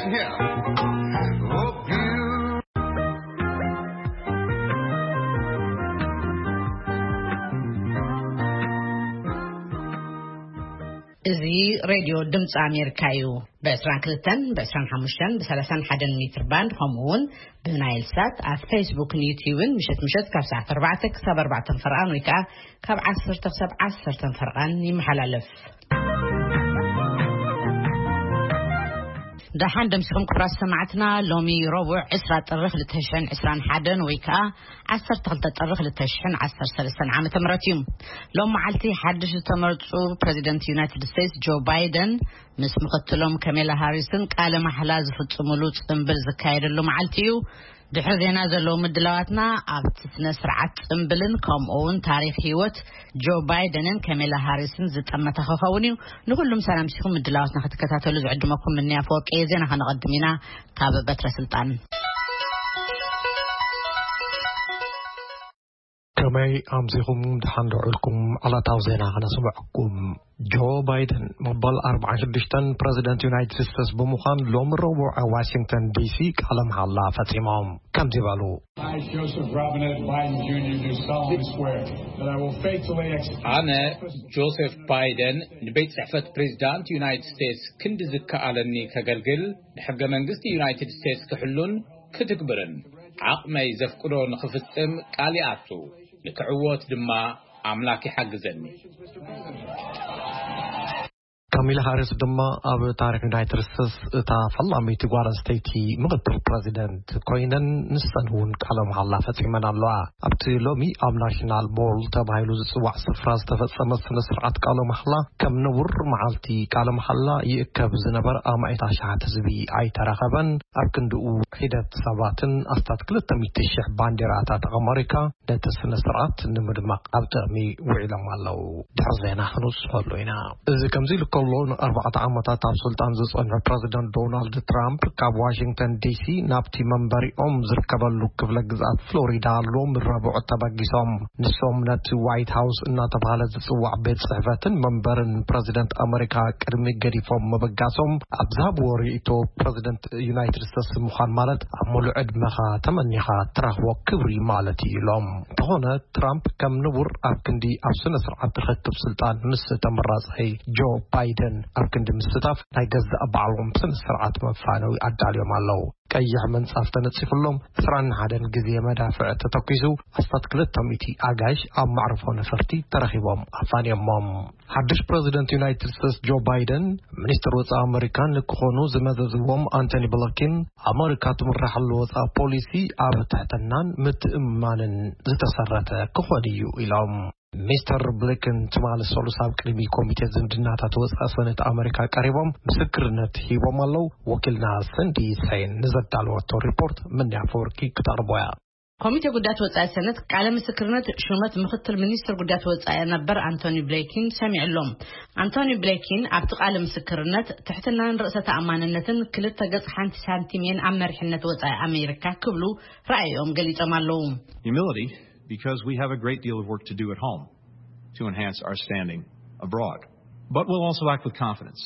Oh, beautiful. እዚ ሬድዮ ድምፂ ኣሜሪካ እዩ። ብ22፣ ብ25፣ ብ31 ሜትር ባንድ፣ ከምኡ እውን ብናይል ሳት ኣብ ፌስቡክን ዩቲዩብን ምሸት ምሸት ካብ ሰዓት ኣርባዕተ ክሳብ ኣርባዕተ ፈርቓን ወይ ከዓ ካብ ዓሰርተ ክሳብ ዓሰርተ ፈርቓን ይመሓላለፍ። ደሓን ደምሲኹም ክቡራት ሰማዕትና። ሎሚ ረቡዕ ዕስራ ጥሪ ክልተ ሽሕን ዕስራን ሓደን ወይ ከዓ ዓሰርተ ክልተ ጥሪ ክልተ ሽሕን ዓሰርተ ሰለስተን ዓመተ ምህረት እዩ። ሎም መዓልቲ ሓድሽ ዝተመርጹ ፕሬዚደንት ዩናይትድ ስቴትስ ጆ ባይደን ምስ ምኽትሎም ከሜላ ሃሪስን ቃለ ማሕላ ዝፍጽሙሉ ጽምብል ዝካየደሉ መዓልቲ እዩ። ድሕሪ ዜና ዘለዉ ምድላዋትና ኣብቲ ስነ ስርዓት ጽምብልን ከምኡ እውን ታሪኽ ህይወት ጆ ባይደንን ከሜላ ሃሪስን ዝጠመተ ክኸውን እዩ። ንኹሉም ሰላም ሲኹም ምድላዋትና ክትከታተሉ ዝዕድመኩም ምንያ ፈወርቂ እየ። ዜና ከነቐድም ኢና ካብ በትረ ስልጣን። ከመይ ኣምሲኹም? ደሓን ዶ ውዒልኩም? ዕለታዊ ዜና ከነስምዐኩም። ጆ ባይደን መበል ኣርባዓን ሽዱሽተን ፕረዚደንት ዩናይትድ ስቴትስ ብምዃን ሎሚ ረቡዕ ኣብ ዋሽንግተን ዲሲ ቃለ መሓላ ፈጺሞም። ከምዚ በሉ። I, Joseph Robinette Biden Junior, do solemnly swear that I will faithfully execute ኣነ ጆሴፍ ባይደን ንቤት ጽሕፈት ፕሬዚዳንት ዩናይትድ ስቴትስ ክንዲ ዝከኣለኒ ከገልግል፣ ንሕገ መንግስቲ ዩናይትድ ስቴትስ ክሕሉን ክትግብርን ዓቕመይ ዘፍቅዶ ንኽፍጽም ቃል ይኣቱ። ንክዕወት ድማ ኣምላክ ይሓግዘኒ። ካሚላ ሃሪስ ድማ ኣብ ታሪኽ ዩናይትድ ስቴትስ እታ ፈላመይቲ ጓል ኣንስተይቲ ምኽትል ፕረዚደንት ኮይነን፣ ንሰን እውን ቃለ መሓላ ፈጺመን ኣለዋ። ኣብቲ ሎሚ ኣብ ናሽናል ሞል ተባሂሉ ዝጽዋዕ ስፍራ ዝተፈጸመ ስነ ስርዓት ቃለ መሓላ፣ ከም ንቡር መዓልቲ ቃለ መሓላ ይእከብ ዝነበረ ኣማኢት ኣሽሓት ህዝቢ ኣይተረኸበን። ኣብ ክንድኡ ሒደት ሰባትን ኣስታት ክልተ ሚእቲ ሽሕ ባንዴራታት ኣመሪካ ነቲ ስነ ስርዓት ንምድማቕ ኣብ ጥቕሚ ውዒሎም ኣለዉ። ድሕሪ ዜና ክንውስኸሉ ኢና። እዚ ከምዚ ኢሉ ከሎ፣ ንኣርባዕተ ዓመታት ኣብ ስልጣን ዝጸንሑ ፕረዚደንት ዶናልድ ትራምፕ ካብ ዋሽንግተን ዲሲ ናብቲ መንበሪኦም ዝርከበሉ ክፍለ ግዝኣት ፍሎሪዳ ሎሚ ረቡዕ ተበጊሶም። ንሶም ነቲ ዋይት ሃውስ እናተባህለ ዝጽዋዕ ቤት ጽሕፈትን መንበርን ፕረዚደንት ኣመሪካ ቅድሚ ገዲፎም ምብጋሶም ኣብ ዝሃብዎ ርእይቶ፣ ፕረዚደንት ዩናይትድ ስቴትስ ምዃን ማለት ኣብ ሙሉእ ዕድመኻ ተመኒኻ ትረኽቦ ክብሪ ማለት እዩ ኢሎም። እንተኾነ፣ ትራምፕ ከም ንቡር ኣብ ክንዲ ኣብ ስነ ስርዓት ርክክብ ስልጣን ምስ ተመራጻይ ጆ ባይደን ኣብ ክንዲ ምስታፍ፣ ናይ ገዛእ ባዕሎም ስነ ስርዓት መፋነዊ ኣዳልዮም ኣለዉ። ቀይሕ ምንጻፍ ተነጺፍሎም፣ ዕስራን ሓደን ግዜ መዳፍዕ ተተኲሱ፣ ኣስታት ክልተ ሚእቲ ኣጋይሽ ኣብ መዕርፎ ነፈርቲ ተረኺቦም ኣፋንዮሞም። ሓድሽ ፕረዚደንት ዩናይትድ ስቴትስ ጆ ባይደን፣ ሚኒስትር ወጻኢ ኣመሪካ ንክኾኑ ዝመዘዝዎም ኣንቶኒ ብሊንከን፣ ኣመሪካ ትምረሓሉ ወጻኢ ፖሊሲ ኣብ ትሕትናን ምትእምማንን ዝተሰረተ ክኾን እዩ ኢሎም። ሚስተር ብሊንከን ትማሊ ሰሉስ ኣብ ቅድሚ ኮሚቴ ዝምድናታት ወጻኢ ሰነት ኣመሪካ ቀሪቦም ምስክርነት ሂቦም ኣለዉ። ወኪልና ሰንዲ ሰይን ንዘዳለወቶ ሪፖርት ምንያ ፈወርቂ ክተቕርቦ እያ። ኮሚቴ ጉዳያት ወጻኢ ሰነት ቃለ ምስክርነት ሹመት ምኽትል ሚኒስትር ጉዳያት ወጻኢ ነበር ኣንቶኒ ብሊንከን ሰሚዑ ኣሎ። ኣንቶኒ ብሊንከን ኣብቲ ቃለ ምስክርነት ትሕትናን ርእሰ ተኣማንነትን ክልተ ገጽ ሓንቲ ሳንቲም እየን ኣብ መሪሕነት ወጻኢ ኣሜሪካ ክብሉ ራእዮም ገሊጾም ኣለዉ። Humility, because we have a great deal of work to do at home to enhance our standing abroad. But we'll also act with confidence.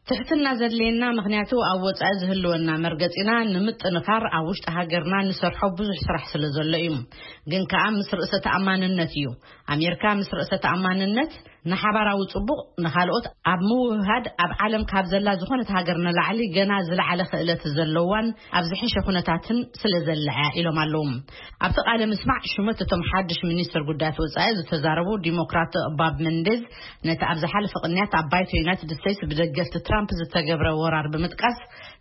ትሕትና ዘድልየና፣ ምኽንያቱ ኣብ ወጻኢ ዝህልወና መርገጺና ንምጥንኻር ኣብ ውሽጢ ሃገርና ንሰርሖ ብዙሕ ስራሕ ስለ ዘሎ እዩ። ግን ከኣ ምስ ርእሰ ተኣማንነት እዩ። ኣሜሪካ ምስ ርእሰ ተኣማንነት ንሓባራዊ ጽቡቕ፣ ንኻልኦት ኣብ ምውህሃድ፣ ኣብ ዓለም ካብ ዘላ ዝኾነት ሃገር ንላዕሊ ገና ዝለዓለ ክእለት ዘለዋን ኣብ ዝሐሸ ኩነታትን ስለ ዘላ እያ ኢሎም ኣለዉ። ኣብቲ ቃለ ምስማዕ ሹመት እቶም ሓድሽ ሚኒስትር ጉዳያት ወጻኢ ዝተዛረቡ ዲሞክራት ባብ መንዴዝ፣ ነቲ ኣብ ዝሓለፈ ቅንያት ኣብ ባይቶ ዩናይትድ ስቴትስ ብደገፍቲ ትራምፕ ዝተገብረ ወራር ብምጥቃስ፣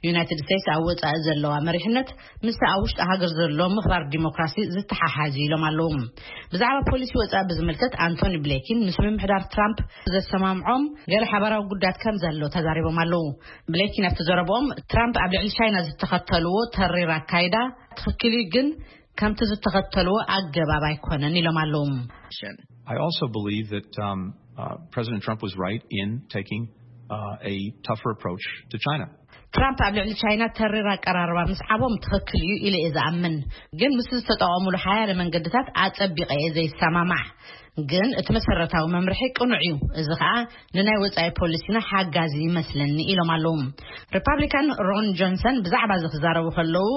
ዩናይትድ ስቴትስ ኣብ ወጻኢ ዘለዋ መሪሕነት ምስቲ ኣብ ውሽጢ ሃገር ዘሎ ምኽባር ዲሞክራሲ ዝተሓሓዝ እዩ ኢሎም ኣለዉ። ብዛዕባ ፖሊሲ ወጻኢ ብዝምልከት ኣንቶኒ ብሊንከን ምስ ምምሕዳር ትራምፕ ዘሰማምዖም ገለ ሓባራዊ ጉዳያት ከም ዘሎ ተዛሪቦም ኣለዉ። ብሊንከን ኣብቲ ዘረብኦም፣ ትራምፕ ኣብ ልዕሊ ቻይና ዝተኸተልዎ ተሪር ኣካይዳ ትኽክል እዩ፣ ግን ከምቲ ዝተኸተልዎ ኣገባብ ኣይኮነን ኢሎም ኣለዉ። I also believe that, um, uh, President Trump was right in taking, uh, a tougher approach to China. ትራምፕ ኣብ ልዕሊ ቻይና ተሪር ኣቀራርባ ምስዓቦም ትኽክል እዩ ኢለ እየ ዝኣምን። ግን ምስ ዝተጠቐሙሉ ሓያለ መንገድታት ኣጸቢቐ እየ ዘይሰማማዕ። ግን እቲ መሰረታዊ መምርሒ ቅኑዕ እዩ። እዚ ኸኣ ንናይ ወጻኢ ፖሊሲና ሓጋዚ ይመስለኒ ኢሎም ኣለዉ። ሪፓብሊካን ሮን ጆንሰን ብዛዕባ እዚ ክዛረቡ ከለዉ፣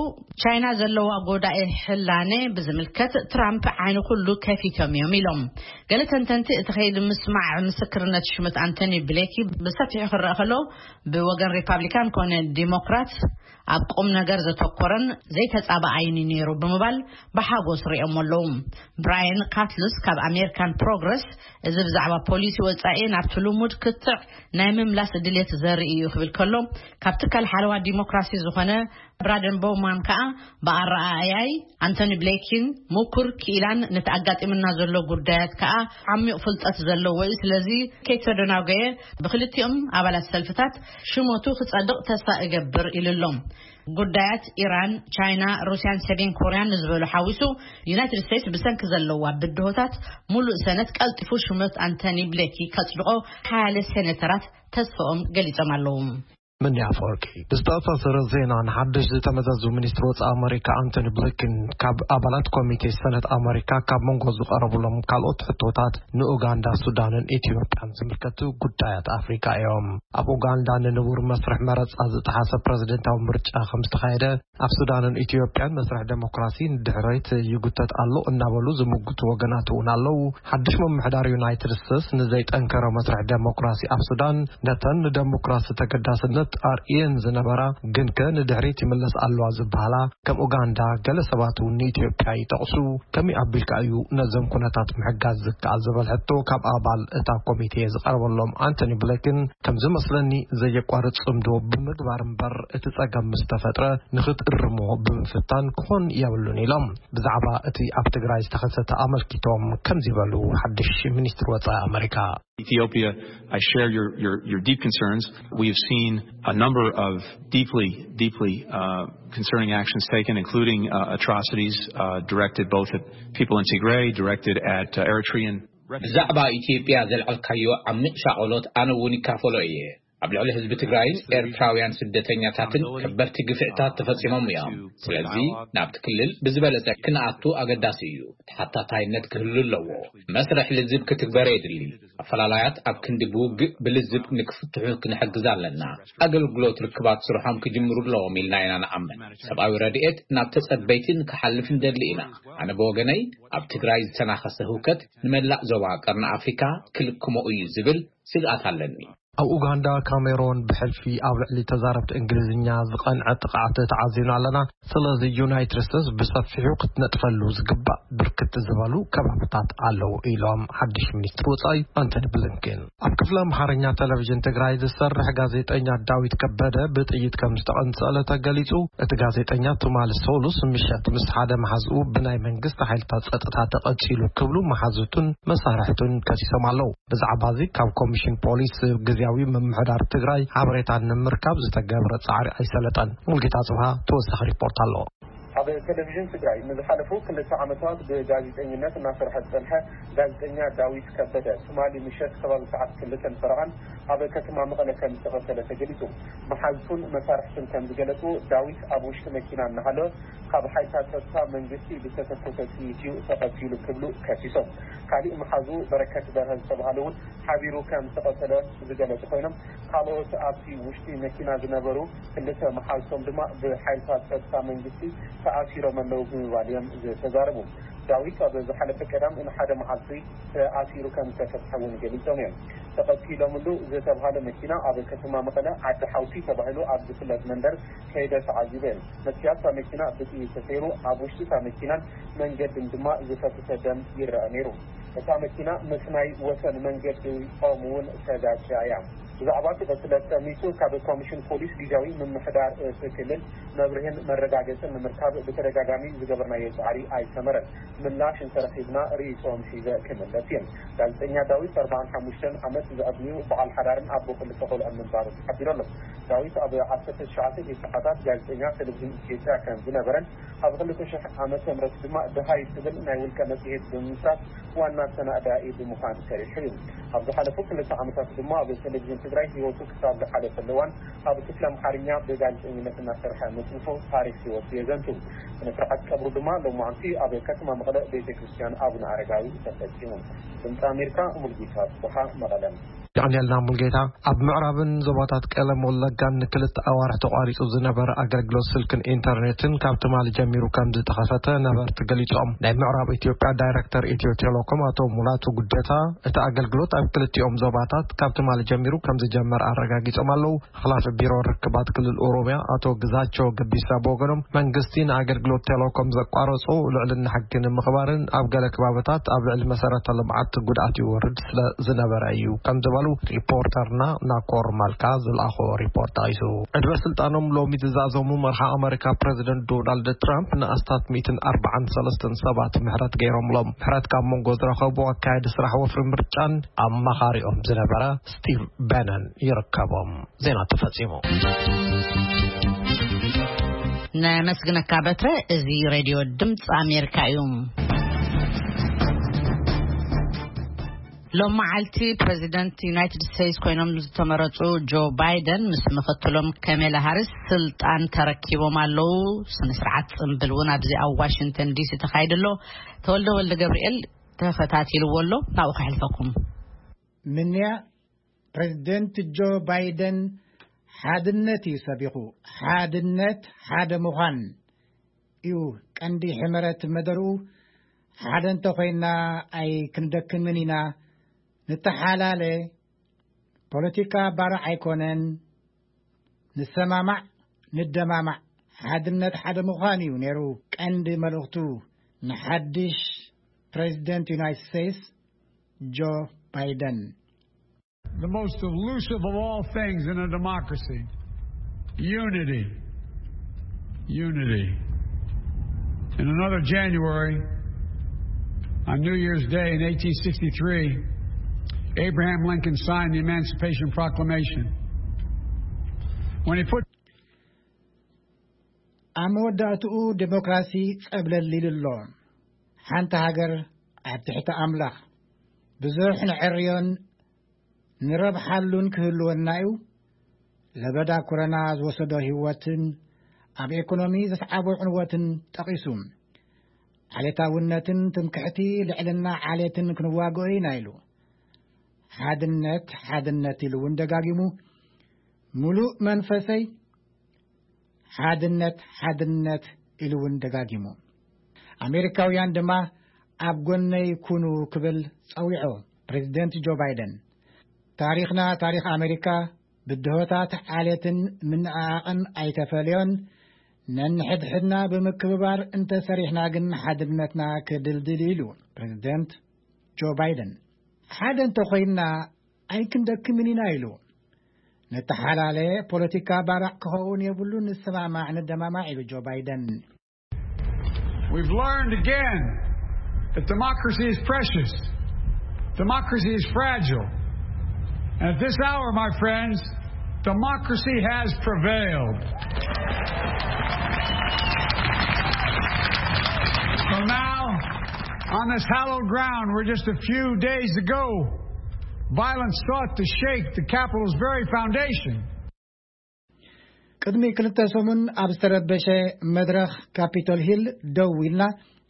ቻይና ዘለዋ ጎዳኢ ሕላነ ብዝምልከት ትራምፕ ዓይኒ ኩሉ ከፊቶም እዮም ኢሎም። ገለ ተንተንቲ እቲ ከይዲ ምስማዕ ምስክርነት ሽመት ኣንቶኒ ብሌኪ ብሰፊሑ ክረአ ከሎ፣ ብወገን ሪፓብሊካን ኮነ ዲሞክራት ኣብ ቁም ነገር ዘተኮረን ዘይተጻባኣይን እዩ ነይሩ ብምባል ብሓጎስ ሪኦም ኣለዉ። ብራየን ካትሉስ ካብ ኣሜሪካን ፕሮግረስ፣ እዚ ብዛዕባ ፖሊሲ ወጻኢ ናብቲ ልሙድ ክትዕ ናይ ምምላስ ድሌት ዘርኢ እዩ ክብል ከሎ፣ ካብ ትካል ሓለዋ ዲሞክራሲ ዝኾነ ብራደን ቦውማን ከኣ ብኣረኣእያይ ኣንቶኒ ብሌኪን ምኩር ክኢላን ነቲ ኣጋጢምና ዘሎ ጉዳያት ከኣ ዓሚቕ ፍልጠት ዘለዎ እዩ። ስለዚ ከይተደናጎየ ብክልቲኦም ኣባላት ሰልፍታት ሽሞቱ ክጸድቕ ተስፋ እገብር ኢሉ ኣሎ። ጉዳያት ኢራን፣ ቻይና፣ ሩስያን ሰሜን ኮርያን ንዝበሉ ሓዊሱ፣ ዩናይትድ ስቴትስ ብሰንኪ ዘለዋ ብድሆታት ሙሉእ ሰነት ቀልጢፉ ሽመት ኣንቶኒ ብሌኪ ከጽድቆ ሓያለ ሴኔተራት ተስፋኦም ገሊጾም ኣለዉ። ምንያ ኣፈወርቂ። ብዝተኣሳሰረ ዜና፣ ንሓድሽ ዝተመዘዙ ሚኒስትር ወጻኢ ኣመሪካ ኣንቶኒ ብሊንከን ካብ ኣባላት ኮሚቴ ሰነት ኣመሪካ ካብ መንጎ ዝቐረቡሎም ካልኦት ሕቶታት ንኡጋንዳ፣ ሱዳንን ኢትዮጵያን ዝምልከቱ ጉዳያት ኣፍሪካ እዮም። ኣብ ኡጋንዳ ንንቡር መስርሕ መረጻ ዝጠሓሰ ፕረዚደንታዊ ምርጫ ከም ዝተኻየደ፣ ኣብ ሱዳንን ኢትዮጵያን መስርሕ ዴሞክራሲ ንድሕሪት ይጉተት ኣሎ እናበሉ ዝምጉቱ ወገናት እውን ኣለዉ። ሓድሽ ምምሕዳር ዩናይትድ ስቴትስ ንዘይጠንከረ መስርሕ ዴሞክራሲ ኣብ ሱዳን፣ ነተን ንዴሞክራሲ ተገዳስነት ኣርእየን ዝነበራ ግን ከ ንድሕሪት ይምለስ ኣለዋ ዝበሃላ ከም ኡጋንዳ፣ ገለ ሰባት እውን ንኢትዮጵያ ይጠቕሱ። ከመይ ኣቢልካ እዩ ነዞም ኩነታት ምሕጋዝ ዝከኣል ዝብል ሕቶ ካብ ኣባል እታ ኮሚቴ ዝቐረበሎም ኣንቶኒ ብሊንከን፣ ከም ዝመስለኒ ዘየቋርጽ ጽምዶ ብምግባር እምበር፣ እቲ ጸገም ምስ ተፈጥረ ንኽትእርሞ ብምፍታን ክኾን የብሉን ኢሎም። ብዛዕባ እቲ ኣብ ትግራይ ዝተኸሰተ ኣመልኪቶም ከምዚ በሉ ሓድሽ ሚኒስትር ወጻኢ ኣመሪካ። Ethiopia, I share your, your, your deep concerns. We have seen a number of deeply, deeply uh, concerning actions taken, including uh, atrocities uh, directed both at people in Tigray, directed at uh, Eritrean refugees. ብዛዕባ ኢትዮጵያ ዘልዓልካዮ ዓሚቕ ሻቐሎት ኣነ እውን ይካፈሎ እየ። ኣብ ልዕሊ ህዝቢ ትግራይን ኤርትራውያን ስደተኛታትን ከበድቲ ግፍዕታት ተፈጺሞም እዮም። ስለዚ ናብቲ ክልል ብዝበለጸ ክንኣቱ ኣገዳሲ እዩ። ተሓታታይነት ክህሉ ኣለዎ። መስርሕ ልዝብ ክትግበር የድሊ። ኣፈላላያት ኣብ ክንዲ ብውግእ ብልዝብ ንክፍትሑ ክንሕግዝ ኣለና። ኣገልግሎት ርክባት ስርሖም ክጅምሩ ኣለዎም ኢልና ኢና ንኣምን። ሰብኣዊ ረድኤት ናብ ተጸበይትን ክሓልፍ ንደሊ ኢና። ኣነ ብወገነይ ኣብ ትግራይ ዝተናኸሰ ህውከት ንመላእ ዞባ ቀርኒ ኣፍሪካ ክልክሞ እዩ ዝብል ስግኣት ኣለኒ። ኣብ ኡጋንዳ፣ ካሜሮን ብሕልፊ ኣብ ልዕሊ ተዛረብቲ እንግሊዝኛ ዝቐንዐ ጥቕዓት ተዓዚብና ኣለና። ስለዚ ዩናይትድ ስቴትስ ብሰፊሑ ክትነጥፈሉ ዝግባእ ብርክት ዝበሉ ከባብታት ኣለዉ ኢሎም ሓድሽ ሚኒስትር ወጻኢ ኣንቶኒ ብሊንከን። ኣብ ክፍሊ ኣምሓርኛ ቴሌቪዥን ትግራይ ዝሰርሕ ጋዜጠኛ ዳዊት ከበደ ብጥይት ከም ዝተቐንጸለ ተገሊጹ። እቲ ጋዜጠኛ ትማሊ ሰሉስ ምሸት ምስ ሓደ መሓዝኡ ብናይ መንግስቲ ሓይልታት ጸጥታ ተቐጺሉ ክብሉ መሓዙቱን መሳርሕቱን ከሲሶም ኣለዉ። ብዛዕባ እዚ ካብ ኮሚሽን ፖሊስ ግዝያዊ ምምሕዳር ትግራይ ሓበሬታ ንምርካብ ዝተገብረ ጻዕሪ ኣይሰለጠን። ሙልጌታ ጽብሃ ተወሳኺ ሪፖርት ኣለዎ። ኣብ ቴሌቪዥን ትግራይ ንዝሓለፉ ክልተ ዓመታት ብጋዜጠኝነት እናሰርሐ ዝጸንሐ ጋዜጠኛ ዳዊት ከበደ ትማሊ ምሸት ከባቢ ሰዓት ክልተን ፈረቓን ኣብ ከተማ መቐለ ከም ዝተቐተለ ተገሊጹ። መሓዝቱን መሳርሕቱን ከም ዝገለጹ፣ ዳዊት ኣብ ውሽጢ መኪና እናሃለወ ካብ ሓይልታት ጸጥታ መንግስቲ ብዝተተኮሰ ጥይት እዩ ተቐቲሉ ክብሉ ከሲሶም። ካሊእ መሓዙ በረከት በርሀ ዝተባሃለ እውን ሓቢሩ ከም ዝተቐተለ ዝገለጹ ኮይኖም፣ ካልኦት ኣብቲ ውሽጢ መኪና ዝነበሩ ክልተ መሓዝቶም ድማ ብሓይልታት ጸጥታ መንግስቲ ተኣሲሮም ኣለዉ ብምባል እዮም ዝተዛረቡ። ዳዊት ኣብ ዝሓለፈ ቀዳም ንሓደ መዓልቲ ተኣሲሩ ከም ዝተፈትሐ እውን ገሊጾም እዮም። ተቐቲሎምሉ ዝተባሃለ መኪና ኣብ ከተማ መቐለ ዓዲ ሓውሲ ተባሂሉ ኣብ ዝፍለጥ መንደር ከይደ ተዓዚበ። መስትያት እታ መኪና ብጥይት ተሰይሩ፣ ኣብ ውሽጢ እታ መኪናን መንገድን ድማ ዝፈሰሰ ደም ይረኣ ነይሩ። እታ መኪና ምስ ናይ ወሰን መንገዲ ኦም እውን ተጋጭያ እያ። ብዛዕባ እቲ ቅትለት ጠሚቱ ካብ ኮሚሽን ፖሊስ ግዝያዊ ምምሕዳር እቲ ክልል መብርሂን መረጋገጽን ንምርካብ ብተደጋጋሚ ዝገበርናዮ ጻዕሪ ኣይሰመረን። ምላሽ እንተረኺብና ርእይቶኦም ሒዘ ክምለስ እየ። ጋዜጠኛ ዳዊት ኣርባዓን ሓሙሽተን ዓመት ዝዕድሚኡ በዓል ሓዳርን ኣቦ ክልተ ቆልዑን ምንባሩ ተሓቢሩ ኣሎ። ዳዊት ኣብ ዓሰርተ ትሽዓተ ሰዓታት ጋዜጠኛ ቴሌቪዥን ኢትዮጵያ ከም ዝነበረን ኣብ ክልተ ሽሕ ዓመተ ምህረት ድማ ደሃይ ትብል ናይ ውልቀ መጽሔት ብምምስራት ዋና ኣሰናዳኢ ብምዃን ሰሪሑ እዩ። ኣብ ዝሓለፉ ክልተ ዓመታት ድማ ኣብ ቴሌቪዥን ትግራይ ህይወቱ ክሳብ ዝሓለፈሉ እዋን ኣብ ክፍሊ ኣምሓርኛ ብጋዜጠኝነት እናሰርሐ ምፅንሑ ታሪክ ህይወቱ የዘንቱ። ስነ ስርዓት ቀብሩ ድማ ሎማዓንቲ ኣብ ከተማ መቐለ ቤተ ክርስቲያን ኣቡነ ኣረጋዊ ተፈፂሙ። ድምፂ ኣሜሪካ፣ ሙልጌታ ጽብሓ፣ መቐለ። የቐንየልና ሙልጌታ። ኣብ ምዕራብን ዞባታት ቀለም ወለጋን ንክልተ ኣዋርሕ ተቋሪጹ ዝነበረ ኣገልግሎት ስልክን ኢንተርኔትን ካብ ትማሊ ጀሚሩ ከም ዝተኸፈተ ነበርቲ ገሊጾም። ናይ ምዕራብ ኢትዮጵያ ዳይሬክተር ኢትዮ ቴሌኮም ኣቶ ሙላቱ ጉደታ፣ እቲ ኣገልግሎት ኣብ ክልቲኦም ዞባታት ካብ ትማሊ ጀሚሩ ከም ዝጀመር ኣረጋጊጾም ኣለዉ። ሓላፊ ቢሮ ርክባት ክልል ኦሮሚያ ኣቶ ግዛቸው ገቢሳ ብወገኖም፣ መንግስቲ ንኣገልግሎት ቴሌኮም ዘቋረጾ ልዕልና ሕጊ ንምኽባርን ኣብ ገለ ከባብታት ኣብ ልዕሊ መሰረተ ልምዓት ጉድኣት ይወርድ ስለ ዝነበረ እዩ ከም ዝበሉ ሪፖርተርና ናኮር ማልካ ዝለኣኾ ሪፖርት ጠቒሱ። ዕድመ ስልጣኖም ሎሚ ዝዛዘሙ መርሓ ኣመሪካ ፕረዚደንት ዶናልድ ትራምፕ ንኣስታት ሚእትን ኣርባዓን ሰለስተን ሰባት ምሕረት ገይሮምሎም። ምሕረት ካብ መንጎ ዝረኸቡ ኣካየዲ ስራሕ ወፍሪ ምርጫን ኣማኻሪኦም ዝነበረ ስቲቭ በነን ይርከቦም። ዜና ተፈጺሙ። ነመስግነካ በትረ። እዚ ሬድዮ ድምፂ ኣሜሪካ እዩ። ሎም መዓልቲ ፕሬዚደንት ዩናይትድ ስቴትስ ኮይኖም ዝተመረፁ ጆ ባይደን ምስ ምክትሎም ከሜላ ሃሪስ ስልጣን ተረኪቦም ኣለዉ። ስነ ስርዓት ፅምብል እውን ኣብዚ ኣብ ዋሽንግተን ዲሲ ተካይዱ ኣሎ። ተወልደ ወልደ ገብርኤል ተኸታቲልዎ ኣሎ። ናብኡ ከሕልፈኩም። ምንያ ፕሬዚደንት ጆ ባይደን ሓድነት እዩ ሰቢኹ። ሓድነት፣ ሓደ ምዃን እዩ ቀንዲ ሕመረት መደርኡ። ሓደ እንተኾይንና ኣይክንደክምን ኢና። ንተሓላለ፣ ፖለቲካ ባርዕ ኣይኮነን። ንሰማማዕ፣ ንደማማዕ። ሓድነት፣ ሓደ ምዃን እዩ ነይሩ ቀንዲ መልእኽቱ ንሓድሽ ፕሬዚደንት ዩናይትድ ስቴትስ ጆ ባይደን። The most elusive of all things in a democracy: unity. Unity. In another January, on New Year's Day in eighteen sixty-three, Abraham Lincoln signed the Emancipation Proclamation. When he put ኣብ መወዳእትኡ ዴሞክራሲ ጸብለል ኢሉ ኣሎ። ሓንቲ ሃገር ኣብ ትሕቲ ኣምላኽ። ብዙሕ ንዕርዮን ንረብሓሉን ክህልወና እዩ። ለበዳ ኮረና ዝወሰዶ ህይወትን ኣብ ኤኮኖሚ ዘስዓቦ ዕንወትን ጠቒሱ፣ ዓሌታውነትን ትምክሕቲ ልዕልና ዓሌትን ክንዋግኦ ኢና ኢሉ። ሓድነት፣ ሓድነት ኢሉ እውን ደጋጊሙ፣ ሙሉእ መንፈሰይ ሓድነት፣ ሓድነት ኢሉ እውን ደጋጊሙ። ኣሜሪካውያን ድማ ኣብ ጎነይ ኩኑ ክብል ጸዊዖ ፕሬዚደንት ጆ ባይደን። ታሪኽና፣ ታሪኽ ኣሜሪካ ብድሆታት ዓሌትን ምንዕዓቕን ኣይተፈልዮን። ነንሕድሕድና ብምክብባር እንተሰሪሕና ግን ሓድነትና ክድልድል ኢሉ ፕሬዚደንት ጆ ባይደን። ሓደ እንተኾይንና ኣይክንደክምን ኢና ኢሉ። ንተሓላለ፣ ፖለቲካ ባራዕ ክኸውን የብሉን፣ ንሰማማዕ ንደማማዕ ኢሉ ጆ ባይደን። We've learned again that democracy is precious. Democracy is fragile. And at this hour, my friends, democracy has prevailed. So now, on this hallowed ground where just a few days ago violence sought to shake the Capitol's very foundation, ቅድሚ ክልተ ሰሙን ኣብ ዝተረበሸ መድረኽ ካፒቶል ሂል ደው ኢልና፣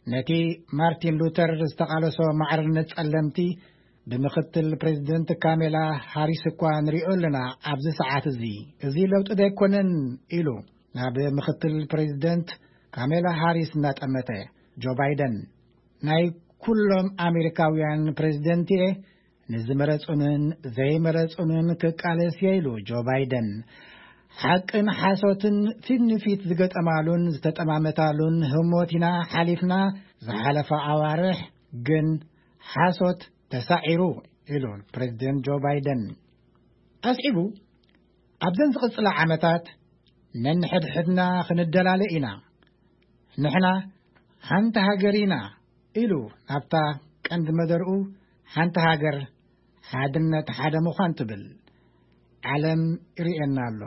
ነቲ ማርቲን ሉተር ዝተቓለሶ ማዕርነት ጸለምቲ ብምኽትል ፕሬዚደንት ካሜላ ሃሪስ እኳ ንሪኦ ኣለና ኣብዚ ሰዓት እዚ። እዚ ለውጢ ዶ ኣይኮነን? ኢሉ ናብ ምኽትል ፕሬዚደንት ካሜላ ሃሪስ እናጠመተ ጆ ባይደን፣ ናይ ኩሎም ኣሜሪካውያን ፕሬዚደንት እየ፣ ንዝመረጹንን ዘይመረጹንን ክቃለስ እየ ኢሉ ጆ ባይደን። ሓቅን ሓሶትን ፊት ንፊት ዝገጠማሉን ዝተጠማመታሉን ህሞት ኢና ሓሊፍና። ዝሓለፈ ኣዋርሕ ግን ሓሶት ተሳዒሩ ኢሉ ፕሬዚደንት ጆ ባይደን። ኣስዒቡ፣ ኣብዘን ዝቕጽላ ዓመታት ነንሕድሕድና ክንደላለ ኢና። ንሕና ሓንቲ ሃገር ኢና ኢሉ ናብታ ቀንዲ መደርኡ፣ ሓንቲ ሃገር፣ ሓድነት፣ ሓደ ምዃን ትብል። ዓለም ይርእየና ኣሎ።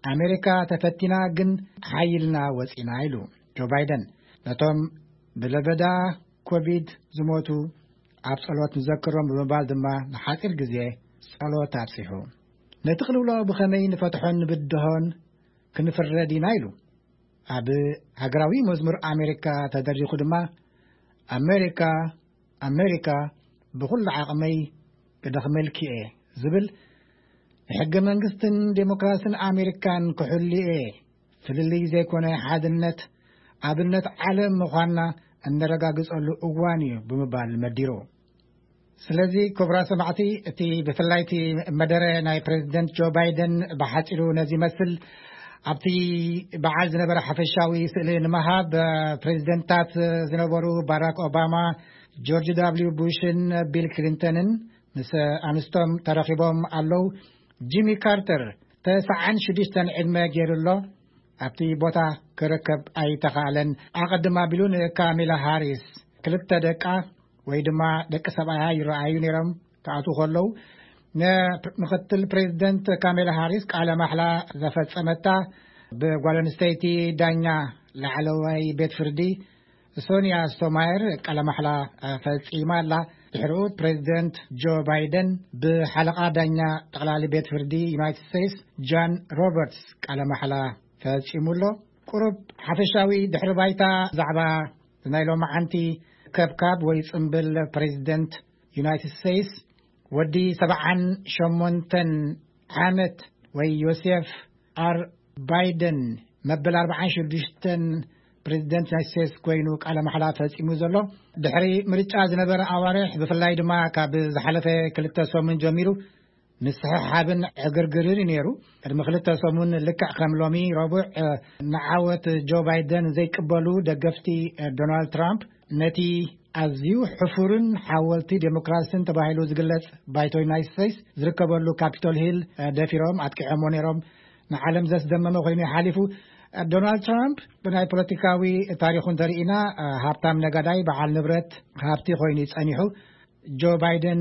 ኣሜሪካ ተፈቲና ግን ሓይልና ወጺና ኢሉ ጆ ባይደን ነቶም ብለበዳ ኮቪድ ዝሞቱ ኣብ ጸሎት ንዘክሮም ብምባል ድማ ንሓጺር ግዜ ጸሎት ኣብጺሑ። ነቲ ቅልውላው ብኸመይ ንፈትሖን ንብድሆን ክንፍረድ ኢና ኢሉ። ኣብ ሃገራዊ መዝሙር ኣሜሪካ ተደሪኹ ድማ ኣሜሪካ ኣሜሪካ ብኹሉ ዓቕመይ ክደኽመልኪ እየ ዝብል ንሕገ መንግስትን ዴሞክራስን ኣሜሪካን ክሕሉ እየ፣ ፍልልይ ዘይኮነ ሓድነት ኣብነት ዓለም ምዃንና እነረጋግጸሉ እዋን እዩ ብምባል መዲሩ። ስለዚ ክቡራት ሰማዕቲ፣ እቲ ብፍላይ እቲ መደረ ናይ ፕሬዚደንት ጆ ባይደን ብሓጺሩ ነዚ ይመስል። ኣብቲ በዓል ዝነበረ ሓፈሻዊ ስእሊ ንምሃብ፣ ፕሬዚደንታት ዝነበሩ ባራክ ኦባማ፣ ጆርጅ ዳብሊው ቡሽን ቢል ክሊንተንን ምስ ኣንስቶም ተረኺቦም ኣለዉ። ጂሚ ካርተር ተስዓን ሽዱሽተን ዕድመ ገይሩ ኣሎ። ኣብቲ ቦታ ክርከብ ኣይተኻእለን። ኣቐድም ኣቢሉ ንካሜላ ሃሪስ ክልተ ደቃ ወይ ድማ ደቂ ሰብኣያ ይረኣዩ ነይሮም ክኣትዉ ከለዉ፣ ንምክትል ፕሬዚደንት ካሜላ ሃሪስ ቃለ ማሕላ ዘፈጸመታ ብጓል ኣንስተይቲ ዳኛ ላዕለዋይ ቤት ፍርዲ ሶንያ ስቶማየር ቃለ ማሕላ ፈጺማ ኣላ። ድሕሪኡ ፕሬዚደንት ጆ ባይደን ብሓለቓ ዳኛ ጠቕላሊ ቤት ፍርዲ ዩናይትድ ስቴትስ ጃን ሮበርትስ ቃለ ማሕላ ፈጺሙ ኣሎ። ቁሩብ ሓፈሻዊ ድሕሪ ባይታ ዛዕባ ናይ ሎማዓንቲ ከብካብ ወይ ጽምብል ፕሬዚደንት ዩናይትድ ስቴትስ፣ ወዲ ሰብዓን ሸሞንተን ዓመት ወይ ዮሴፍ ኣር ባይደን መበል ኣርባዓን ሽዱሽተን ፕሬዚደንት ዩናይትድ ስቴትስ ኮይኑ ቃለ ማሕላ ፈጺሙ ዘሎ። ድሕሪ ምርጫ ዝነበረ ኣዋርሕ፣ ብፍላይ ድማ ካብ ዝሓለፈ ክልተ ሰሙን ጀሚሩ፣ ምስሕሓብን ዕግርግርን እዩ ነይሩ። ቅድሚ ክልተ ሰሙን፣ ልክዕ ከም ሎሚ ረቡዕ፣ ንዓወት ጆ ባይደን ዘይቅበሉ ደገፍቲ ዶናልድ ትራምፕ፣ ነቲ ኣዝዩ ሕፉርን ሓወልቲ ዴሞክራስን ተባሂሉ ዝግለጽ ባይቶ ዩናይትድ ስቴትስ ዝርከበሉ ካፒቶል ሂል ደፊሮም ኣጥቂዖሞ ነይሮም። ንዓለም ዘስደመመ ኮይኑ ሓሊፉ። ዶናልድ ትራምፕ ብናይ ፖለቲካዊ ታሪኹ እንተርኢና፣ ሃብታም ነጋዳይ፣ በዓል ንብረት፣ ሃብቲ ኮይኑ እዩ ጸኒሑ። ጆ ባይደን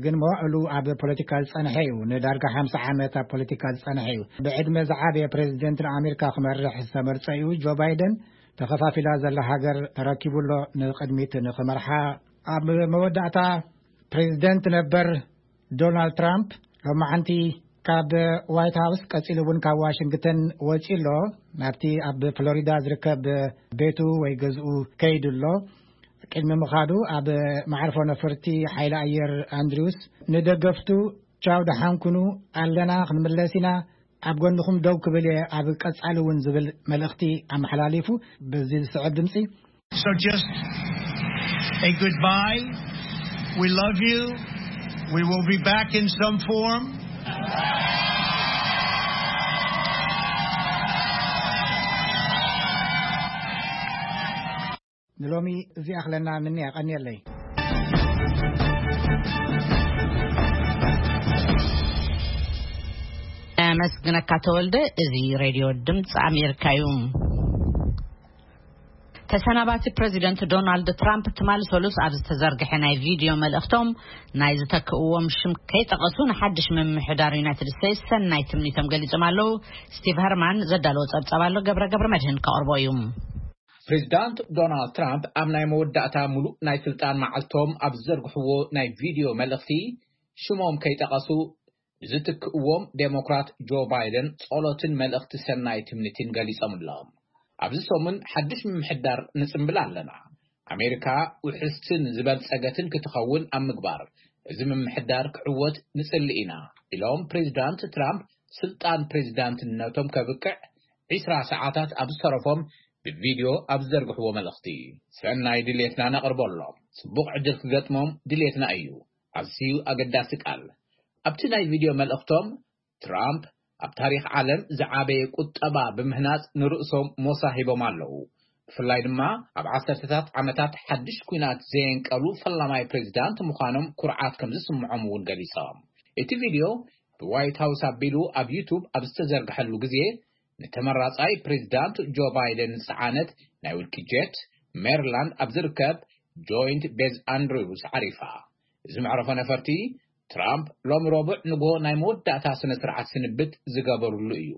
ግን መዋእሉ ኣብ ፖለቲካ ዝጸንሐ እዩ። ንዳርጋ ሓምሳ ዓመት ኣብ ፖለቲካ ዝጸንሐ እዩ። ብዕድመ ዝዓበየ ፕሬዚደንት ንኣሜሪካ ክመርሕ ዝተመርጸ እዩ። ጆ ባይደን ተኸፋፊላ ዘላ ሃገር ተረኪቡ ኣሎ ንቕድሚት ንኽመርሓ። ኣብ መወዳእታ፣ ፕሬዚደንት ነበር ዶናልድ ትራምፕ ሎማዓንቲ ካብ ዋይት ሃውስ ቀጺሉ እውን ካብ ዋሽንግተን ወጺኡ ኣሎ። ናብቲ ኣብ ፍሎሪዳ ዝርከብ ቤቱ ወይ ገዝኡ ከይዱ ኣሎ። ቅድሚ ምኻዱ፣ ኣብ መዓርፎ ነፈርቲ ሓይሊ ኣየር ኣንድሪውስ ንደገፍቱ፣ "ቻው፣ ደሓን ኩኑ፣ ኣለና፣ ክንምለስ ኢና፣ ኣብ ጎንኹም ደው ክብል እየ ኣብ ቀጻሊ እውን" ዝብል መልእኽቲ ኣመሓላሊፉ። በዚ ዝስዕብ ድምጺ። So just a goodbye. We love you. We will be back in some form. ንሎሚ እዚ ኣኽለና፣ ምኒ ኣቐንየለይ። ኣመስግነካ ተወልደ። እዚ ሬድዮ ድምፂ ኣሜሪካ እዩ። ተሰናባቲ ፕረዚደንት ዶናልድ ትራምፕ ትማሊ ሰሉስ ኣብ ዝተዘርግሐ ናይ ቪድዮ መልእኽቶም፣ ናይ ዝተክእዎም ሽም ከይጠቐሱ ንሓድሽ ምምሕዳር ዩናይትድ ስቴትስ ሰናይ ትምኒቶም ገሊጾም ኣለዉ። ስቲቭ ሀርማን ዘዳለዎ ጸብጻብ ኣሎ፣ ገብረ ገብረ መድህን ከቕርቦ እዩ። ፕሬዚዳንት ዶናልድ ትራምፕ ኣብ ናይ መወዳእታ ምሉእ ናይ ስልጣን መዓልቶም ኣብ ዝዘርግሕዎ ናይ ቪድዮ መልእኽቲ፣ ሽሞም ከይጠቐሱ ንዝትክእዎም ዴሞክራት ጆ ባይደን ጸሎትን መልእኽቲ ሰናይ ትምኒትን ገሊጾምሎም። ኣብዚ ሰሙን ሓድሽ ምምሕዳር ንጽምብል ኣለና። ኣሜሪካ ውሕስትን ዝበልጸገትን ክትኸውን ኣብ ምግባር እዚ ምምሕዳር ክዕወት ንጽሊ ኢና፣ ኢሎም ፕሬዚዳንት ትራምፕ ስልጣን ፕሬዚዳንትነቶም ከብቅዕ ዒስራ ሰዓታት ኣብ ዝተረፎም ብቪድዮ ኣብ ዝዘርግሕዎ መልእኽቲ። ሰናይ ድሌትና ነቕርበሎም፣ ጽቡቕ ዕድል ክገጥሞም ድሌትና እዩ። ኣዝዩ ኣገዳሲ ቃል። ኣብቲ ናይ ቪድዮ መልእኽቶም፣ ትራምፕ ኣብ ታሪኽ ዓለም ዝዓበየ ቁጠባ ብምህናጽ ንርእሶም ሞሳ ሂቦም ኣለዉ። ብፍላይ ድማ ኣብ ዓሰርተታት ዓመታት ሓድሽ ኲናት ዘየንቀሉ ፈላማይ ፕሬዚዳንት ምዃኖም ኩርዓት ከም ዝስምዖም እውን ገሊጾም። እቲ ቪድዮ ብዋይት ሃውስ ኣቢሉ ኣብ ዩቱብ ኣብ ዝተዘርግሐሉ ግዜ፣ ንተመራጻይ ፕሬዚዳንት ጆ ባይደን ዝጸዓነት ናይ ውልቂ ጀት፣ ሜሪላንድ ኣብ ዝርከብ ጆይንት ቤዝ ኣንድሪውስ ዓሪፋ። እዚ መዕረፎ ነፈርቲ፣ ትራምፕ ሎሚ ረቡዕ ንግሆ ናይ መወዳእታ ስነ ስርዓት ስንብት ዝገበሩሉ እዩ።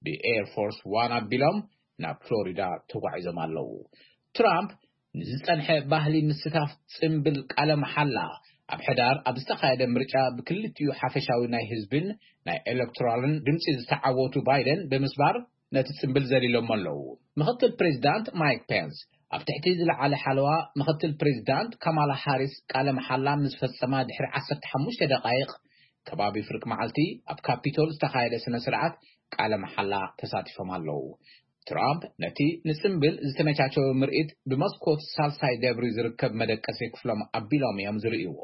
ብኤር ፎርስ ዋን ኣቢሎም ናብ ፍሎሪዳ ተጓዒዞም ኣለዉ። ትራምፕ ንዝጸንሐ ባህሊ ምስታፍ ጽምብል ቃለ መሓላ ኣብ ሕዳር ኣብ ዝተኻየደ ምርጫ ብክልቲኡ ሓፈሻዊ ናይ ህዝብን ናይ ኤሌክቶራልን ድምጺ ዝተዓወቱ ባይደን ብምስባር ነቲ ጽምብል ዘሊሎሞ ኣለዉ። ምኽትል ፕሬዚዳንት ማይክ ፔንስ ኣብ ትሕቲ ዝለዓለ ሓለዋ ምኽትል ፕሬዚዳንት ካማላ ሃሪስ ቃለ መሓላ ምስ ፈጸማ ድሕሪ ዓሰርተ ሓሙሽተ ደቓይቕ ከባቢ ፍርቂ መዓልቲ ኣብ ካፒቶል ዝተኻየደ ስነ ስርዓት ቃለ መሓላ ተሳቲፎም ኣለዉ። ትራምፕ ነቲ ንጽምብል ዝተመቻቸወ ምርኢት ብመስኮት ሳልሳይ ደብሪ ዝርከብ መደቀሲ ክፍሎም ኣቢሎም እዮም ዝርእይዎ።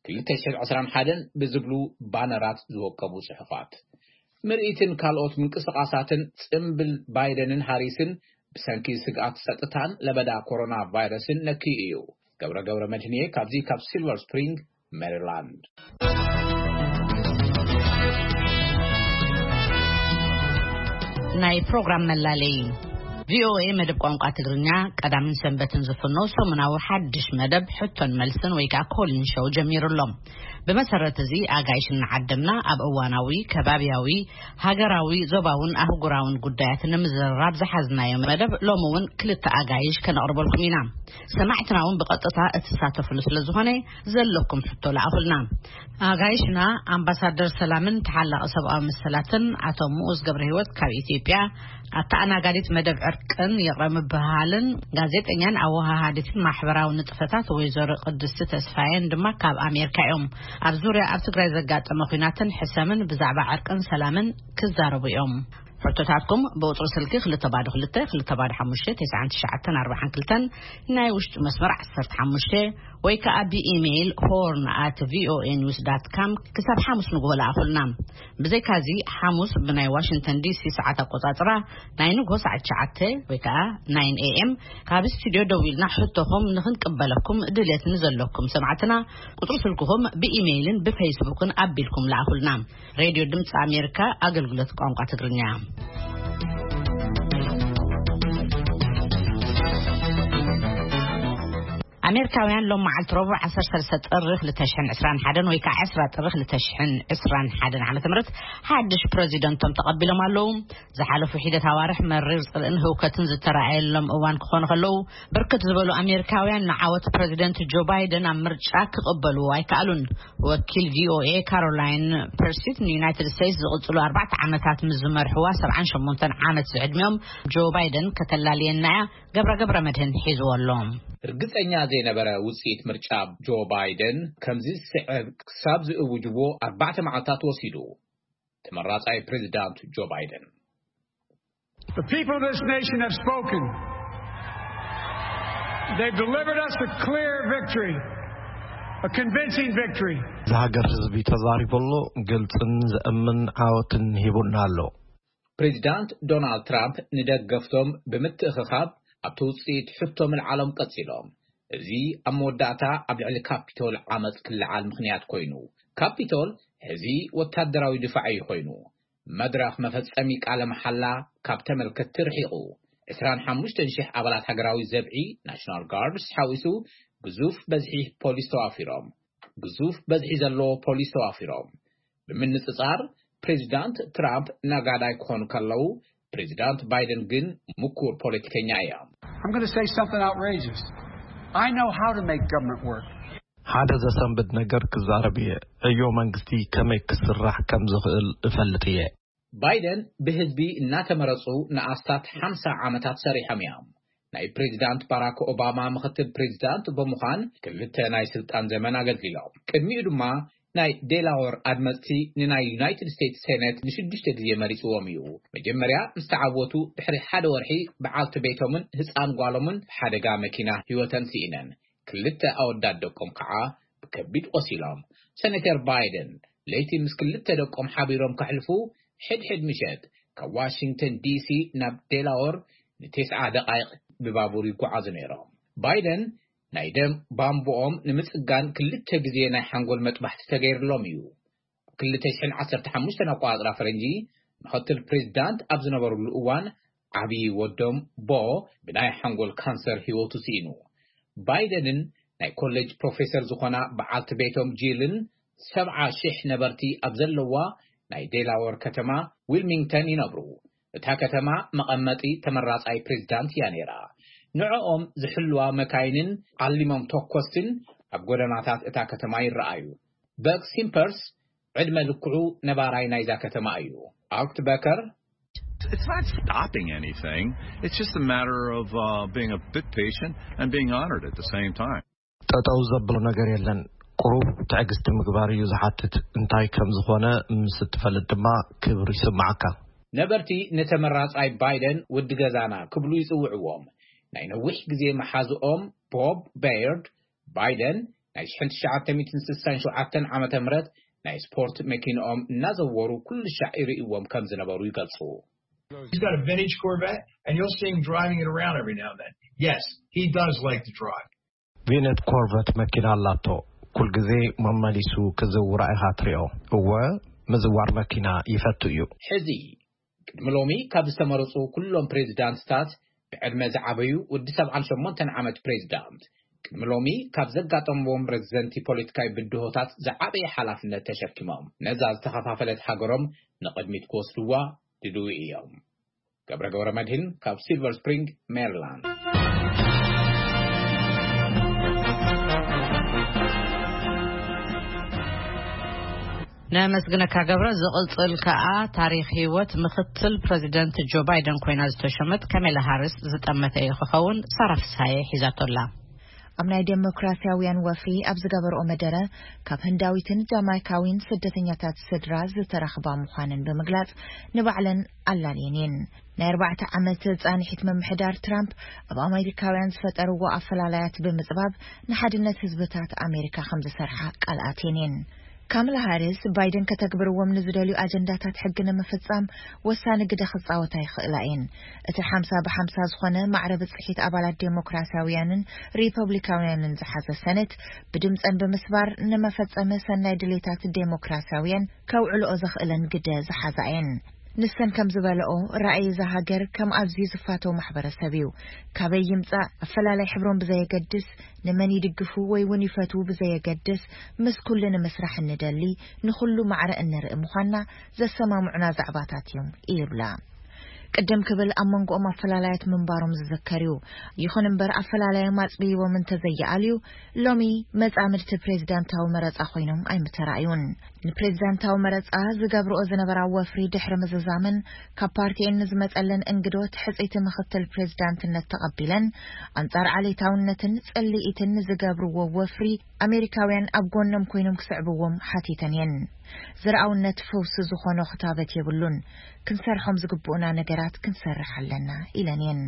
ክልተ ሽሕን ዕስራን ሓደን ብዝብሉ ባነራት ዝወቀቡ ጽሑፋት። ምርኢትን ካልኦት ምንቅስቓሳትን ጽምብል ባይደንን ሃሪስን ብሰንኪ ስግኣት ጸጥታን ለበዳ ኮሮና ቫይረስን ነክዩ እዩ። ገብረ ገብረ መድህንየ ካብዚ ካብ ሲልቨር ስፕሪንግ ሜሪላንድ። ናይ ፕሮግራም መላለይ ቪኦኤ መደብ ቋንቋ ትግርኛ ቀዳምን ሰንበትን ዝፍኖ ሰሙናዊ ሓድሽ መደብ ሕቶን መልስን ወይ ከዓ ኮሊን ሾው ጀሚሩ ኣሎ። ብመሰረት እዚ ኣጋይሽ እናዓደምና ኣብ እዋናዊ፣ ከባብያዊ፣ ሃገራዊ፣ ዞባውን ኣህጉራውን ጉዳያት ንምዝርራብ ዝሓዝናዮ መደብ ሎሚ እውን ክልተ ኣጋይሽ ከነቕርበልኩም ኢና። ሰማዕትና እውን ብቐጥታ እትሳተፍሉ ስለ ዝኾነ ዘለኩም ሕቶ ለኣኹልና። ኣጋይሽና ኣምባሳደር ሰላምን ተሓላቒ ሰብኣዊ መሰላትን ኣቶ ምኡዝ ገብረ ህይወት ካብ ኢትዮጵያ፣ ኣተኣናጋዲት መደብ ዕርቅን ይቕረ ምብህሃልን ጋዜጠኛን ኣወሃሃዲትን ማሕበራዊ ንጥፈታት ወይዘሮ ቅድስቲ ተስፋየን ድማ ካብ ኣሜሪካ እዮም። ኣብ ዙርያ ኣብ ትግራይ ዘጋጠመ ኲናትን ሕሰምን ብዛዕባ ዕርቅን ሰላምን ክዛረቡ እዮም። ሕቶታትኩም ብቁፅሪ ስልኪ ክልተ ባዶ ክልተ ክልተ ባዶ ሓሙሽተ ተስዓን ትሽዓተን ኣርባዓን ክልተን፣ ናይ ውሽጢ መስመር ዓሰርተ ሓሙሽተ፣ ወይ ከዓ ብኢሜይል ሆርን ኣት ቪኦኤ ኒውስ ዳት ካም ክሳብ ሓሙስ ንግሆ ለኣኹልና። ብዘይካዚ ሓሙስ ብናይ ዋሽንግተን ዲሲ ሰዓት ኣቆፃፅራ ናይ ንግሆ ሰዓት ትሽዓተ ወይ ከዓ ናይን ኤ ኤም ካብ ስቱዲዮ ደዊልና ሕቶኹም ንክንቅበለኩም ድሌት ንዘለኩም ሰማዕትና ቁፅሪ ስልክኹም ብኢሜይልን ብፌስቡክን ኣቢልኩም ለኣኹልና። ሬድዮ ድምፂ ኣሜሪካ ኣገልግሎት ቋንቋ ትግርኛ። ኣሜሪካውያን ሎም መዓልቲ ረቡዕ ዓሰርተ ሰለስተ ጥሪ ክልተ ሽሕን ዕስራን ሓደን ወይ ከዓ ዕስራ ጥሪ ክልተ ሽሕን ዕስራን ሓደን ዓመተ ምህረት ሓድሽ ፕረዚደንቶም ተቐቢሎም ኣለዉ። ዝሓለፉ ሒደት ኣዋርሕ መሪር ጽልእን ህውከትን ዝተረኣየሎም እዋን ክኾኑ ከለዉ፣ ብርክት ዝበሉ ኣሜሪካውያን ንዓወት ፕረዚደንት ጆ ባይደን ኣብ ምርጫ ክቕበልዎ ኣይከኣሉን። ወኪል ቪኦኤ ካሮላይን ፐርሲት ንዩናይትድ ስቴትስ ዝቕጽሉ ኣርባዕተ ዓመታት ምስ ዝመርሕዋ ሰብዓን ሸሞንተን ዓመት ዝዕድሚኦም ጆ ባይደን ከተላልየና እያ። ገብረ ገብረ መድህን ሒዝዎ ኣሎ። ርግጸኛ ዘይነበረ ውጽኢት ምርጫ ጆ ባይደን ከምዚ ዝስዕብ ክሳብ ዝእውጅዎ ኣርባዕተ መዓልታት ወሲዱ። ተመራጻይ ፕሬዚዳንት ጆ ባይደን። The people of this nation have spoken. They've delivered us a clear victory, a convincing victory. ዝሃገር ህዝቢ ተዛሪቡ ኣሎ፣ ግልጽን ዘእምን ዓወትን ሂቡና ኣሎ። ፕሬዚዳንት ዶናልድ ትራምፕ ንደገፍቶም ብምትእኽኻብ ኣብቲ ውጽኢት ሕቶ ምልዓሎም ቀጺሎም። እዚ ኣብ መወዳእታ ኣብ ልዕሊ ካፒቶል ዓመጽ ክለዓል ምኽንያት ኮይኑ። ካፒቶል ሕዚ ወታደራዊ ድፋዕ እዩ ኮይኑ። መድረኽ መፈጸሚ ቃለ መሓላ ካብ ተመልከትቲ ርሒቑ። ዕስራን ሓሙሽተን ሽሕ ኣባላት ሃገራዊ ዘብዒ ናሽናል ጋርድስ ሓዊሱ ግዙፍ በዝሒ ፖሊስ ተዋፊሮም። ግዙፍ በዝሒ ዘለዎ ፖሊስ ተዋፊሮም። ብምንጽጻር ፕሬዚዳንት ትራምፕ ነጋዳይ ክኾኑ ከለዉ፣ ፕሬዚዳንት ባይደን ግን ምኩር ፖለቲከኛ እዮም። I'm going to say something outrageous. I know how to make government work. ሓደ ዘሰንብድ ነገር ክዛረብ እየ። ዕዮ መንግስቲ ከመይ ክስራሕ ከም ዝኽእል እፈልጥ እየ። ባይደን ብህዝቢ እናተመረጹ ንኣስታት ሓምሳ ዓመታት ሰሪሖም እዮም። ናይ ፕሬዚዳንት ባራክ ኦባማ ምኽትል ፕሬዚዳንት ብምዃን ክልተ ናይ ስልጣን ዘመን ኣገልጊሎም። ቅድሚኡ ድማ ናይ ዴላወር ኣድመፅቲ ንናይ ዩናይትድ ስቴትስ ሴኔት ንሽዱሽተ ግዜ መሪፅዎም እዩ። መጀመርያ ምስ ተዓወቱ ድሕሪ ሓደ ወርሒ በዓልቲ ቤቶምን ህፃን ጓሎምን ብሓደጋ መኪና ህይወተን ስኢነን። ክልተ ኣወዳት ደቆም ከዓ ብከቢድ ቆሲሎም። ሴኔተር ባይደን ለይቲ ምስ ክልተ ደቆም ሓቢሮም ከሕልፉ ሕድሕድ ምሸት ካብ ዋሽንግተን ዲሲ ናብ ዴላወር ንቴስዓ ደቓይቕ ብባቡር ይጓዓዙ ነይሮም። ባይደን ናይ ደም ባምቦኦም ንምጽጋን ክልተ ግዜ ናይ ሓንጎል መጥባሕቲ ተገይርሎም እዩ። ኣብ ክልተ ሽሕን ዓሰርተ ሓሙሽተን ኣቆጻጽራ ፈረንጂ ምኽትል ፕሬዚዳንት ኣብ ዝነበሩሉ እዋን ዓብዪ ወዶም ቦ ብናይ ሓንጎል ካንሰር ህይወቱ ስኢኑ። ባይደንን ናይ ኮሌጅ ፕሮፌሰር ዝኾና በዓልቲ ቤቶም ጂልን ሰብዓ ሽሕ ነበርቲ ኣብ ዘለዋ ናይ ዴላወር ከተማ ዊልሚንግተን ይነብሩ። እታ ከተማ መቐመጢ ተመራጻይ ፕሬዚዳንት እያ ነይራ። ንዕኦም ዝሕልዋ መካይንን ዓሊሞም ተኮስትን ኣብ ጎደናታት እታ ከተማ ይረኣዩ። በክ ሲምፐርስ ዕድመ ልክዑ ነባራይ ናይዛ ከተማ እዩ። ኣውክት በከር It's not stopping anything. It's just a matter of uh, being a bit patient and being honored at the same time. ጠጠው ዘብሎ ነገር የለን። ቁሩብ ትዕግስቲ ምግባር እዩ ዝሓትት። እንታይ ከም ዝኾነ ምስ እትፈልጥ ድማ ክብር ይስምዓካ። ነበርቲ ንተመራጻይ ባይደን ውዲ ገዛና ክብሉ ይጽውዕዎም። ናይ ነዊሕ ግዜ መሓዝኦም ቦብ በየርድ፣ ባይደን ናይ ሽሕን ትሽዓተ ሚእትን ስሳን ሸውዓተን ዓመተ ምህረት ናይ ስፖርት መኪንኦም እናዘወሩ ኩሉ ሻዕ ይርእይዎም ከም ዝነበሩ ይገልጹ። He's got a vintage Corvette, and you'll see him driving it around every now and then. Yes, he does like to drive. ቪነት ኮርቨት መኪና ኣላቶ። ኩል ግዜ መመሊሱ ክዝውራ ኢኻ ትሪኦ። እወ፣ ምዝዋር መኪና ይፈቱ እዩ። ሕዚ ቅድሚ ሎሚ ካብ ዝተመረጹ ኩሎም ፕሬዚዳንትታት ብዕድመ ዝዓበዩ ወዲ ሰብዓን ሸሞንተን ዓመት ፕሬዚዳንት ቅድሚ ሎሚ ካብ ዘጋጠምዎም ረግዘንቲ ፖለቲካዊ ብድሆታት ዝዓበየ ሓላፍነት ተሸኪሞም ነዛ ዝተኸፋፈለት ሃገሮም ንቕድሚት ክወስድዋ ድልዊ እዮም። ገብረ ገብረ መድህን ካብ ሲልቨር ስፕሪንግ ሜሪላንድ። ነመስግነካ ገብረ። ዝቕጽል ከኣ ታሪኽ ህይወት ምኽትል ፕረዚደንት ጆ ባይደን ኮይና ዝተሸመት ካሜላ ሃሪስ ዝጠመተ እዩ ክኸውን። ሳራ ፍስሃየ ሒዛቶላ። ኣብ ናይ ዴሞክራሲያውያን ወፍሪ ኣብ ዝገበርኦ መደረ፣ ካብ ህንዳዊትን ጃማይካዊን ስደተኛታት ስድራ ዝተረኽባ ምዃነን ብምግላጽ፣ ንባዕለን ኣላልየን እየን። ናይ ኣርባዕተ ዓመት ጻንሒት ምምሕዳር ትራምፕ ኣብ ኣሜሪካውያን ዝፈጠርዎ ኣፈላላያት ብምጽባብ ንሓድነት ህዝብታት ኣሜሪካ ከም ዝሰርሓ ቃል ኣትየን እየን። ካምላ ሃሪስ፣ ባይደን ከተግብርዎም ንዝደልዩ ኣጀንዳታት ሕጊ ንምፍጻም ወሳኒ ግደ ክጻወታ ይኽእላ እየን። እቲ ሓምሳ ብሓምሳ ዝኾነ ማዕረ ብጽሒት ኣባላት ዴሞክራሲያውያንን ሪፐብሊካውያንን ዝሓዘ ሰነት ብድምጸን ብምስባር ንመፈጸሚ ሰናይ ድሌታት ዴሞክራሲያውያን ከውዕልኦ ዘኽእለን ግደ ዝሓዛ እየን። ንሰን ከም ዝበለኦ፣ ራእይ እዛ ሃገር ከም ኣዝዩ ዝፋተው ማሕበረሰብ እዩ። ካበይ ይምጻእ፣ ኣፈላላይ ሕብሮም ብዘየገድስ፣ ንመን ይድግፉ ወይ እውን ይፈትዉ ብዘየገድስ፣ ምስ ኩሉ ንምስራሕ እንደሊ፣ ንኹሉ ማዕረ እንርኢ ምዃንና ዘሰማምዑና ዛዕባታት እዮም ይብላ። ቅድም ክብል ኣብ መንጎኦም ኣፈላላያት ምንባሮም ዝዝከር እዩ። ይኹን እምበር ኣፈላላዮም ኣጽብይዎም እንተዘይኣልዩ፣ ሎሚ መጻምድቲ ፕሬዚዳንታዊ መረጻ ኮይኖም ኣይምተራእዩን። ንፕሬዚዳንታዊ መረጻ ዝገብርኦ ዝነበራ ወፍሪ ድሕሪ ምዝዛመን ካብ ፓርቲኤን ንዝመጸለን እንግዶት ሕጽይቲ ምኽትል ፕሬዚዳንትነት ተቐቢለን፣ ኣንጻር ዓሌታውነትን ጽልኢትን ንዝገብርዎ ወፍሪ ኣሜሪካውያን ኣብ ጎኖም ኮይኖም ክስዕብዎም ሓቲተን እየን። ዘርኣውነት ፈውሲ ዝኾኖ ክታበት የብሉን። ክንሰርሖም ዝግብኡና ነገራት ክንሰርሕ ኣለና ኢለን እየን።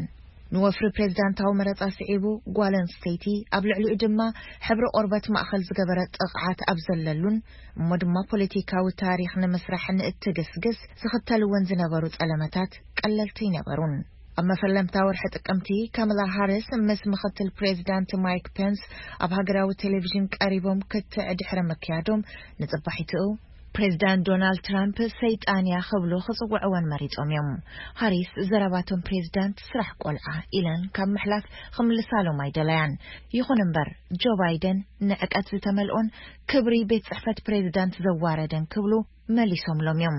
ንወፍሪ ፕሬዚዳንታዊ መረጻ ስዒቡ፣ ጓል ኣንስተይቲ ኣብ ልዕሊኡ ድማ ሕብሪ ቆርበት ማእኸል ዝገበረ ጥቕዓት ኣብ ዘለሉን እሞ ድማ ፖለቲካዊ ታሪኽ ንምስራሕ ንእትግስግስ ዝኽተልወን ዝነበሩ ጸለመታት ቀለልቲ ኣይነበሩን። ኣብ መፈለምታ ወርሒ ጥቅምቲ፣ ካማላ ሃሪስ ምስ ምኽትል ፕሬዚዳንት ማይክ ፔንስ ኣብ ሃገራዊ ቴሌቪዥን ቀሪቦም ክትዕ ድሕሪ ምክያዶም፣ ንጽባሒትኡ ፕሬዚዳንት ዶናልድ ትራምፕ ሰይጣን እያ ክብሉ ክጽውዕወን መሪጾም እዮም። ሃሪስ ዘረባቶም ፕሬዚዳንት ስራሕ ቆልዓ ኢለን ካብ ምሕላፍ ክምልሳሎም ኣይደለያን። ይኹን እምበር ጆ ባይደን ንዕቀት ዝተመልኦን ክብሪ ቤት ጽሕፈት ፕሬዚዳንት ዘዋረደን ክብሉ መሊሶምሎም እዮም።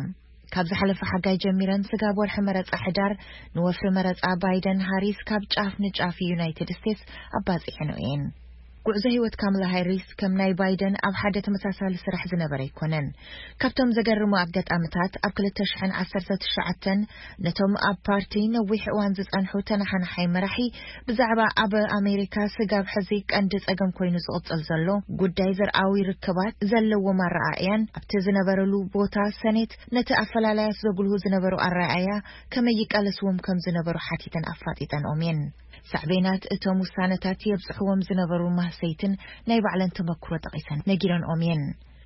ካብ ዝሓለፈ ሓጋይ ጀሚረን ስጋብ ወርሒ መረጻ ሕዳር ንወፍሪ መረጻ ባይደን ሃሪስ ካብ ጫፍ ንጫፍ ዩናይትድ ስቴትስ ኣባጺሐንኦ እየን። ጉዕዞ ህይወት ካምላ ሃሪስ ከም ናይ ባይደን ኣብ ሓደ ተመሳሳሊ ስራሕ ዝነበረ ኣይኮነን። ካብቶም ዘገርሙ ኣጋጣምታት ኣብ ክልተ ሽሕን ዓሰርተ ትሽዓተን ነቶም ኣብ ፓርቲ ነዊሕ እዋን ዝጸንሑ ተነሓናሓይ መራሒ ብዛዕባ ኣብ ኣሜሪካ ስጋብ ሕዚ ቀንዲ ጸገም ኮይኑ ዝቕጽል ዘሎ ጉዳይ ዘርኣዊ ርክባት ዘለዎም ኣረኣእያን ኣብቲ ዝነበረሉ ቦታ ሰኔት ነቲ ኣፈላላያት ዘጉልሁ ዝነበሩ ኣረኣእያ ከመይ ይቃለስዎም ከም ዝነበሩ ሓቲተን ኣፋጢጠንኦም እየን። ሳዕቤናት እቶም ውሳነታት የብጽሕዎም ዝነበሩ ማህሰይትን ናይ ባዕለን ተመክሮ ጠቒሰን ነጊረንኦም እየን።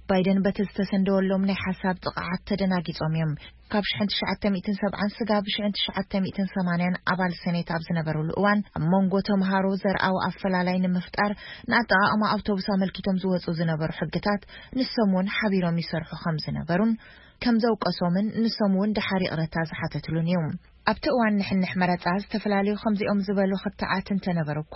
ባይደን በቲ ዝተሰንደወሎም ናይ ሓሳብ ጥቕዓት ተደናጊጾም እዮም። ካብ ሽሕን ትሽዓተ ሚእትን ሰብዓን ስጋብ ሽሕን ትሽዓተ ሚእትን ሰማንያን ኣባል ሰኔት ኣብ ዝነበሩሉ እዋን ኣብ መንጎ ተምሃሮ ዘርኣዊ ኣፈላላይ ንምፍጣር ንኣጠቓቕማ ኣውቶቡስ ኣመልኪቶም ዝወጹ ዝነበሩ ሕግታት ንሶም እውን ሓቢሮም ይሰርሑ ከም ዝነበሩን ከም ዘውቀሶምን ንሶም እውን ድሓር ይቕረታ ዝሓተትሉን እዩ። ኣብቲ እዋን ንሕንሕ መረጻ ዝተፈላለዩ ከምዚኦም ዝበሉ ክትዓት እንተነበሩ እኳ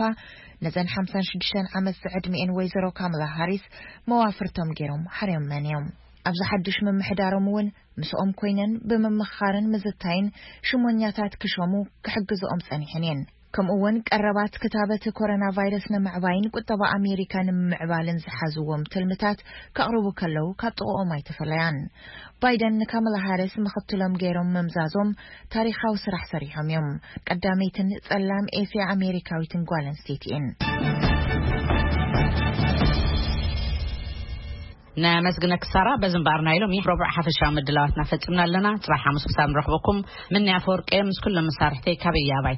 ነዘን ሓምሳን ሽዱሽተን ዓመት ዝዕድሚኤን ወይዘሮ ካምላ ሃሪስ መዋፍርቶም ገይሮም ሓርዮመን እዮም። ኣብዚ ሓድሽ ምምሕዳሮም እውን ምስኦም ኮይነን ብምምኽኻርን ምዝታይን ሽሞኛታት ክሾሙ ክሕግዝኦም ጸኒሐን እየን። ከምኡ እውን ቀረባት ክታበት ኮሮና ቫይረስ ንምዕባይን ቁጠባ ኣሜሪካ ንምምዕባልን ዝሓዝዎም ትልምታት ከቕርቡ ከለዉ ካብ ጥቕኦም ኣይተፈለያን። ባይደን ንካማላ ሃሪስ ምኽትሎም ገይሮም ምምዛዞም ታሪኻዊ ስራሕ ሰሪሖም እዮም። ቀዳመይትን ጸላም ኤስያ ኣሜሪካዊትን ጓል ኣንስተይቲ እየን። ነመስግነኪ ሳራ። በዚ እምበኣር ናይ ሎሚ ረቡዕ ሓፈሻዊ ምድላዋትና ፈጺምና ኣለና። ጽባሕ ሓሙስ ክሳብ ንረኽበኩም፣ ምንያ ኣፈወርቂ ምስ ኩሎም መሳርሕተይ ካብ እያ ኣባይቲ